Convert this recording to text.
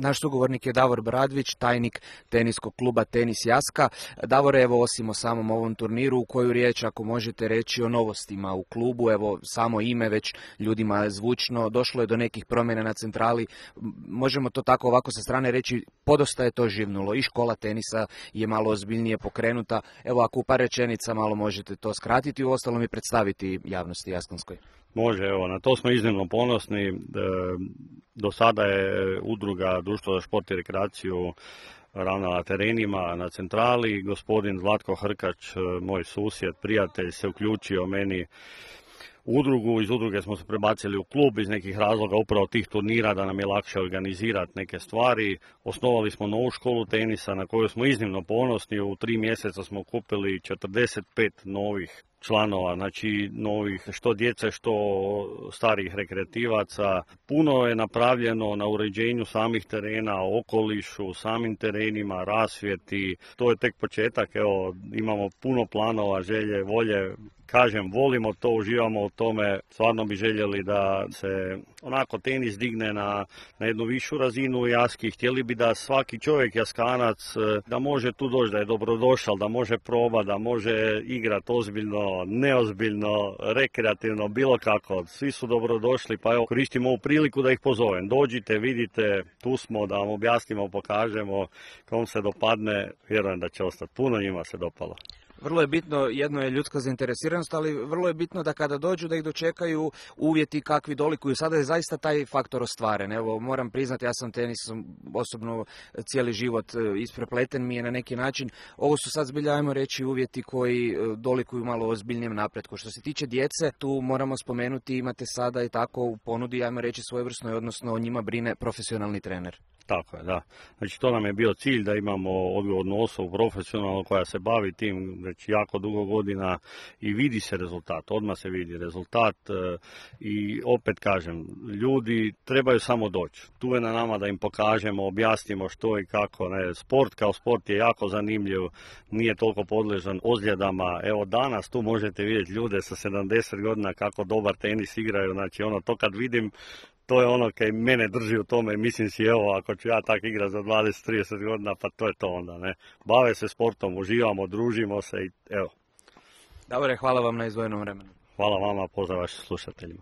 Naš sugovornik je Davor Bradvić, tajnik teniskog kluba Tenis Jaska. Davore, evo osim o samom ovom turniru, u koju riječ ako možete reći o novostima u klubu, evo samo ime već ljudima zvučno, došlo je do nekih promjena na centrali, možemo to tako ovako sa strane reći, podosta je to živnulo i škola tenisa je malo ozbiljnije pokrenuta. Evo ako u par rečenica malo možete to skratiti, uostalom i predstaviti javnosti jaskonskoj. Može, evo, na to smo iznimno ponosni. Do sada je udruga Društvo za šport i rekreaciju ravnala terenima na centrali. Gospodin Zlatko Hrkač, moj susjed, prijatelj, se uključio meni u udrugu. Iz udruge smo se prebacili u klub iz nekih razloga, upravo tih turnira, da nam je lakše organizirati neke stvari. Osnovali smo novu školu tenisa na koju smo iznimno ponosni. U 3 mjeseca smo kupili 45 novih članova, znači novih što djece, što starih rekreativaca. Puno je napravljeno na uređenju samih terena, okolišu, samim terenima, rasvjeti. To je tek početak, evo, imamo puno planova, želje, volje. Kažem, volimo to, uživamo u tome, stvarno bi željeli da se onako tenis digne na jednu višu razinu Jaski. Htjeli bi da svaki čovjek Jaskanac da može tu doći, da je dobrodošao, da može probati, da može igrati ozbiljno, neozbiljno, rekreativno, bilo kako. Svi su dobrodošli, pa evo koristim ovu priliku da ih pozovem. Dođite, vidite, tu smo da vam objasnimo, pokažemo, kom se dopadne, vjerujem da će ostati. Puno njima se dopalo. Vrlo je bitno, jedno je ljudska zainteresiranost, ali vrlo je bitno da kada dođu da ih dočekaju uvjeti kakvi dolikuju. Sada je zaista taj faktor ostvaren. Evo, moram priznati, ja sam tenisom osobno cijeli život isprepleten mi je na neki način. Ovo su sad zbilja, ajmo reći, uvjeti koji dolikuju malo ozbiljnijem napretku. Što se tiče djece, tu moramo spomenuti, imate sada i tako u ponudi, ajmo reći, svojevrsnoj, odnosno o njima brine profesionalni trener. Tako je, da. Znači to nam je bio cilj, da imamo odgovornu osobu profesionalnu koja se bavi tim već jako dugo godina i vidi se rezultat, odmah se vidi rezultat i opet kažem, ljudi trebaju samo doći. Tu je na nama da im pokažemo, objasnimo što i kako. Sport kao sport je jako zanimljiv, nije toliko podležan ozljedama. Evo danas tu možete vidjeti ljude sa 70 godina kako dobar tenis igraju, znači to kad vidim, to je ono kaj mene drži u tome, mislim si, evo, ako ću ja tak igrati za 20-30 godina, pa to je to onda, ne. Bave se sportom, uživamo, družimo se i evo. Davore, hvala vam na izdvojenom vremenu. Hvala vama, pozdrav vašim slušateljima.